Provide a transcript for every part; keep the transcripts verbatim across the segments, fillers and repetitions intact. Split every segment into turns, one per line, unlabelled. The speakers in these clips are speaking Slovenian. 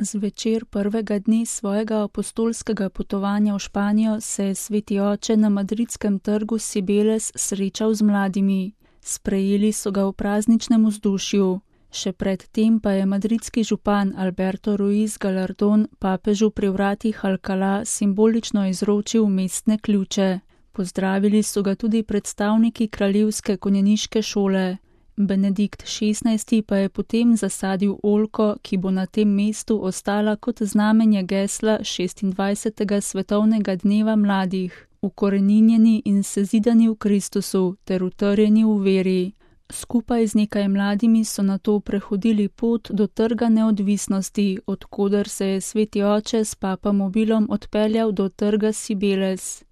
Zvečer prvega dne svojega apostolskega potovanja v Španijo se je sveti oče na madridskem trgu Cibeles srečal z mladimi. Sprejeli so ga v prazničnem vzdušju. Še pred tem pa je madridski župan Alberto Ruiz Gallardón papežu pri vratih Alcalá simbolično izročil mestne ključe. Pozdravili so ga tudi predstavniki kraljevske konjeniške šole. Benedikt šestnajsti pa je potem zasadil oljko, ki bo na tem mestu ostala kot znamenje gesla šestindvajsetega svetovnega dneva mladih, ukoreninjeni in sezidani v Kristusu ter utrjeni v veri. Skupaj z nekaj mladimi so nato prehodili pot do Trga neodvisnosti, od koder se je sveti oče s papamobilom odpeljal do Trga Cibeles.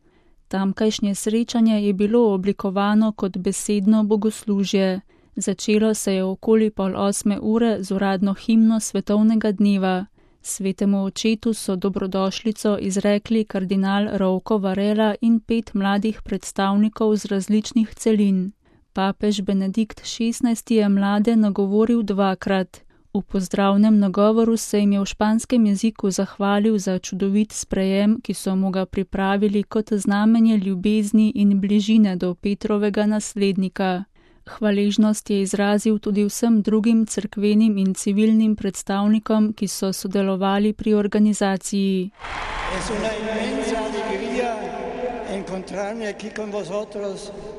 Tamkajšnje srečanje je bilo oblikovano kot besedno bogoslužje. Začelo se je okoli pol osme ure z uradno himno svetovnega dneva. Svetemu očetu so dobrodošlico izrekli kardinal Rouco Varela in pet mladih predstavnikov z različnih celin. Papež Benedikt šestnajsti je mlade nagovoril dvakrat. V pozdravnem nagovoru se jim je v španskem jeziku zahvalil za čudovit sprejem, ki so mu ga pripravili kot znamenje ljubezni in bližine do Petrovega naslednika. Hvaležnost je izrazil tudi vsem drugim cerkvenim in civilnim predstavnikom, ki so sodelovali pri organizaciji.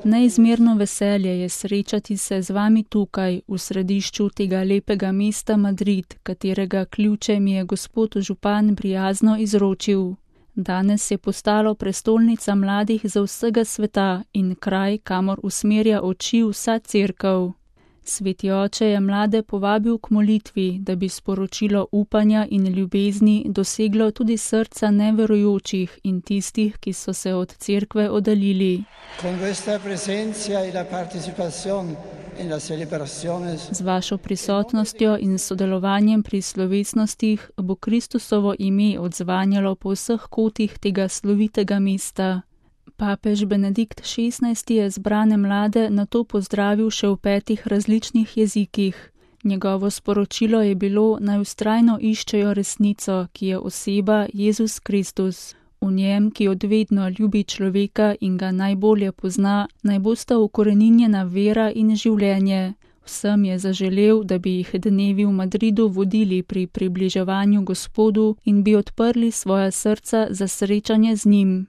Neizmerno veselje je srečati se z vami tukaj, v središču tega lepega mesta Madrid, katerega ključe mi je gospod župan prijazno izročil. Danes je postalo prestolnica mladih za vsega sveta in kraj, kamor usmerja oči vsa cerkev. Sveti oče je mlade povabil k molitvi, da bi sporočilo upanja in ljubezni doseglo tudi srca neverujočih in tistih, ki so se od cerkve oddaljili. Z vašo prisotnostjo in sodelovanjem pri slovesnostih bo Kristusovo ime odzvanjalo po vseh kotih tega slovitega mesta. Papež Benedikt šestnajsti je zbrane mlade nato pozdravil še v petih različnih jezikih. Njegovo sporočilo je bilo, naj vztrajno iščejo resnico, ki je oseba Jezus Kristus. V njem, ki odvedno ljubi človeka in ga najbolje pozna, naj bosta ukoreninjena vera in življenje. Vsem je zaželel, da bi jih dnevi v Madridu vodili pri približevanju Gospodu in bi odprli svoja srca za srečanje z njim.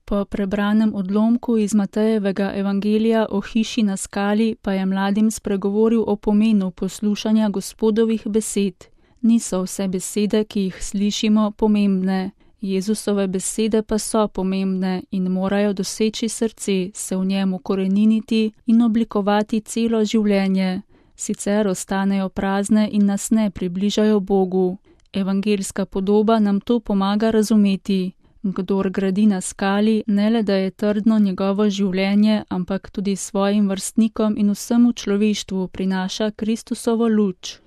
Po prebranem odlomku iz Matejevega evangelija o hiši na skali pa je mladim spregovoril o pomenu poslušanja Gospodovih besed. Niso vse besede, ki jih slišimo, pomembne. Jezusove besede pa so pomembne in morajo doseči srce, se v njem ukoreniniti in oblikovati celo življenje. Sicer ostanejo prazne in nas ne približajo Bogu. Evangeljska podoba nam to pomaga razumeti. Kdor gradi na skali, ne le da je trdno njegovo življenje, ampak tudi svojim vrstnikom in vsemu človeštvu prinaša Kristusovo luč.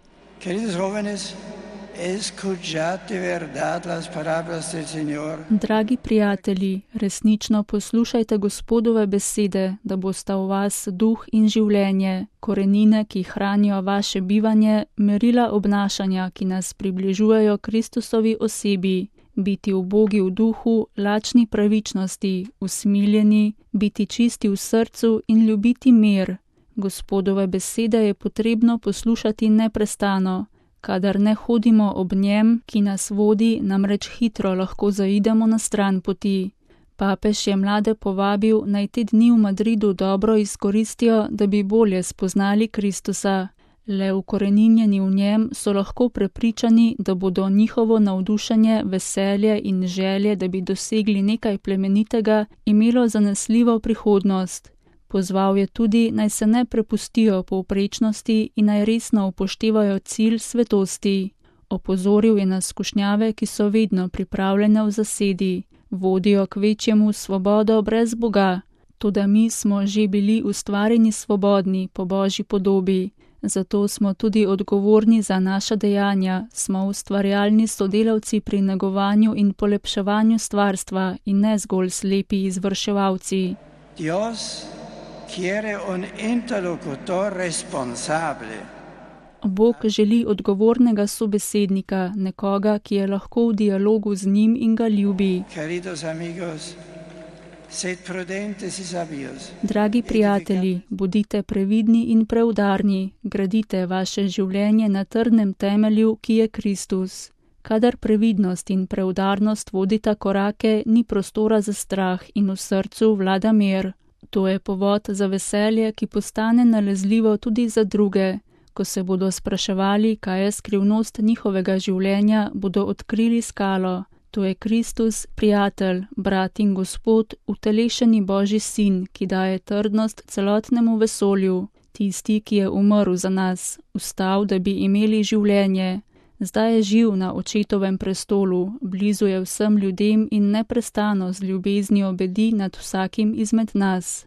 Dragi prijatelji, resnično poslušajte Gospodove besede, da bosta v vas duh in življenje, korenine, ki hranijo vaše bivanje, merila obnašanja, ki nas približujejo Kristusovi osebi. Biti ubogi v duhu, lačni pravičnosti, usmiljeni, biti čisti v srcu in ljubiti mir. Gospodove besede je potrebno poslušati neprestano. Kadar ne hodimo ob njem, ki nas vodi, namreč hitro lahko zaidemo na stran poti. Papež je mlade povabil, naj te dni v Madridu dobro izkoristijo, da bi bolje spoznali Kristusa. Le ukoreninjeni v njem so lahko prepričani, da bodo njihovo navdušenje, veselje in želje, da bi dosegli nekaj plemenitega, imelo zanesljivo prihodnost. Pozval je tudi, naj se ne prepustijo povprečnosti in naj resno upoštevajo cilj svetosti. Opozoril je na skušnjave, ki so vedno pripravljene v zasedi. Vodijo k večjemu svobodo brez Boga. Toda mi smo že bili ustvarjeni svobodni po Božji podobi. Zato smo tudi odgovorni za naša dejanja, smo ustvarjalni sodelavci pri negovanju in polepševanju stvarstva in ne zgolj slepi izvrševalci. Bog želi odgovornega sobesednika, nekoga, ki je lahko v dialogu z njim in ga ljubi. Dragi prijatelji, bodite previdni in preudarni, gradite vaše življenje na trdnem temelju, ki je Kristus. Kadar previdnost in preudarnost vodita korake, ni prostora za strah in v srcu vlada mir. To je povod za veselje, ki postane nalezljivo tudi za druge. Ko se bodo spraševali, kaj je skrivnost njihovega življenja, bodo odkrili skalo. To je Kristus, prijatelj, brat in Gospod, utelešeni Božji sin, ki daje trdnost celotnemu vesolju. Tisti, ki je umrl za nas, vstal, da bi imeli življenje. Zdaj je živ na očetovem prestolu, blizu je vsem ljudem in neprestano z ljubeznijo bedi nad vsakim izmed nas.